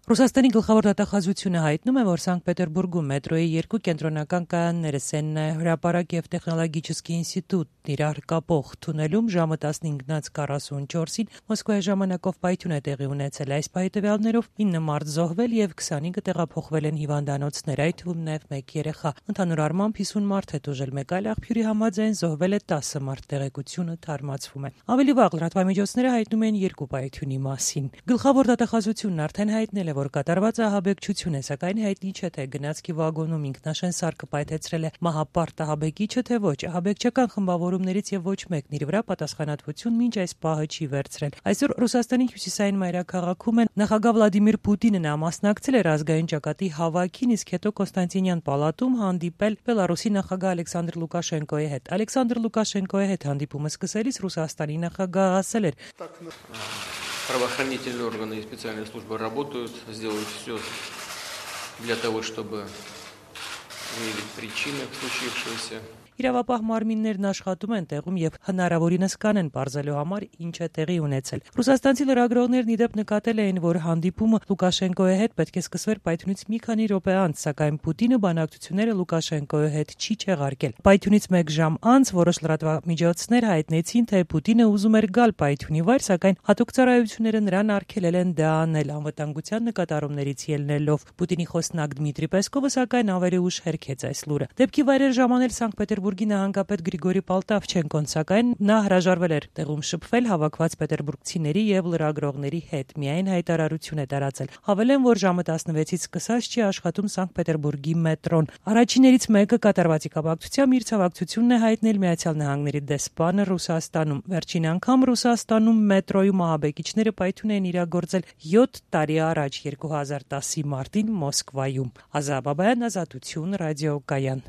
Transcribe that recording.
Ռուսաստանի գլխավոր դատախազությունը հայտնում է, որ Սանկտ Պետերբուրգում մետրոյի երկու կենտրոնական կայանները Սեննայ հրապարակ եւ տեխնոլոգիչեսկի ինստիտուտն իրար կապող թունելում ժամը 15:44-ին Մոսկվայի ժամանակով պայթյուն է տեղի ունեցել։ Այս պահի տվյալներով 9 մարդ զոհվել եւ 25-ը տեղափոխվել են հիվանդանոցներ, այդ թվում նաեւ 1 երեխա։ Ընդհանուր առմամբ 50 մարդ է տուժել, մեկ այլ աղբյուրի համաձայն զոհվել է 10 մարդ, տեղեկությունը թարմացվում է։ Ավելի վաղ լրատվամիջոցները հայտնում են երկու պայթյունի մասին։ Գլխավոր դատախազությունն արդեն հայտնել է, որ կատարված ահաբեկչություն է, սակայն հայտնի չէ, թե գնացքի վագոնում ինքնաշեն սարքը պայթեցրել է մահապարտ ահաբեկիչը, թե ոչ։ Ահաբեկչական խմբավորումներից եւ ոչ մեկն իր վրա պատասխանատվություն մինչ այս պահը չի վերցրել։ Այսօր Ռուսաստանի հյուսիսային մայրաքաղաքում նախագահ Վլադիմիր Պուտինն մասնակցել էր ազգային ճակատի հավաքին, իսկ հետո Կոստանտինյան պալատում հանդիպել Բելարուսի նախագահ Ալեքսանդր Լուկաշենկոյի հետ։ Ալեքսանդր Լուկաշենկոյի հետ հանդիպումը սկսելիս Ռուսաստանի նախագահը ասել էր. Правоохранительные органы и специальные службы работают, сделают все для того, чтобы выявить причины случившегося. Իրավապահ մարմիններն աշխատում են տեղում եւ հնարավորինս կանեն բարձելու համար ինչ է տեղի ունեցել։ Ռուսաստանցի լրագրողներն իդեպ նկատել էին, որ հանդիպումը Լուկաշենկոյի հետ պետք է սկսվեր պայթյունից մի քանի րոպե անց, սակայն Պուտինը բանակցությունները Լուկաշենկոյի հետ չի չեղարկել։ Պայթյունից 1 ժամ անց որոշ լրատվամիջոցներ հայտնեցին, թե Պուտինը ուզում էր գալ պայթյունի վայր, սակայն հատուկ ծառայությունները նրան արգելել են դա անել անվտանգության նկատառումներից ելնելով։ Պուտինի խոսնակ Դմիտրի Պեսկովը սակայն ավելի ուշ հերքեց այս լուրը։ Դեպքի վայրեր ժամանել Սանկտ Պետերբուրգի նահանգապետ Գրիգորի Պալտավչենկոն, սակայն նա հրաժարվել էր տեղում շփվել հավաքված պետերբուրգցիների եւ լրագրողների հետ։ Միայն հայտարարություն է տարածել։ Հավելեն, որ ժամը 16-ից սկսած չի աշխատում Սանկտ Պետերբուրգի մետրոն։ Առաջիններից մեկը կատարվածի կապակցությամբ իր ցավակցությունն է հայտնել Միացյալ Նահանգների դեսպանը Ռուսաստանում։ Վերջին անգամ Ռուսաստանում մետրոյում ահաբեկիչները պայթյուն են իրագործել 7 տարի առաջ 2010-ի մարտին Մոսկվայում։ Ազա Բաբայան, Ազատություն, ռադիոկայան։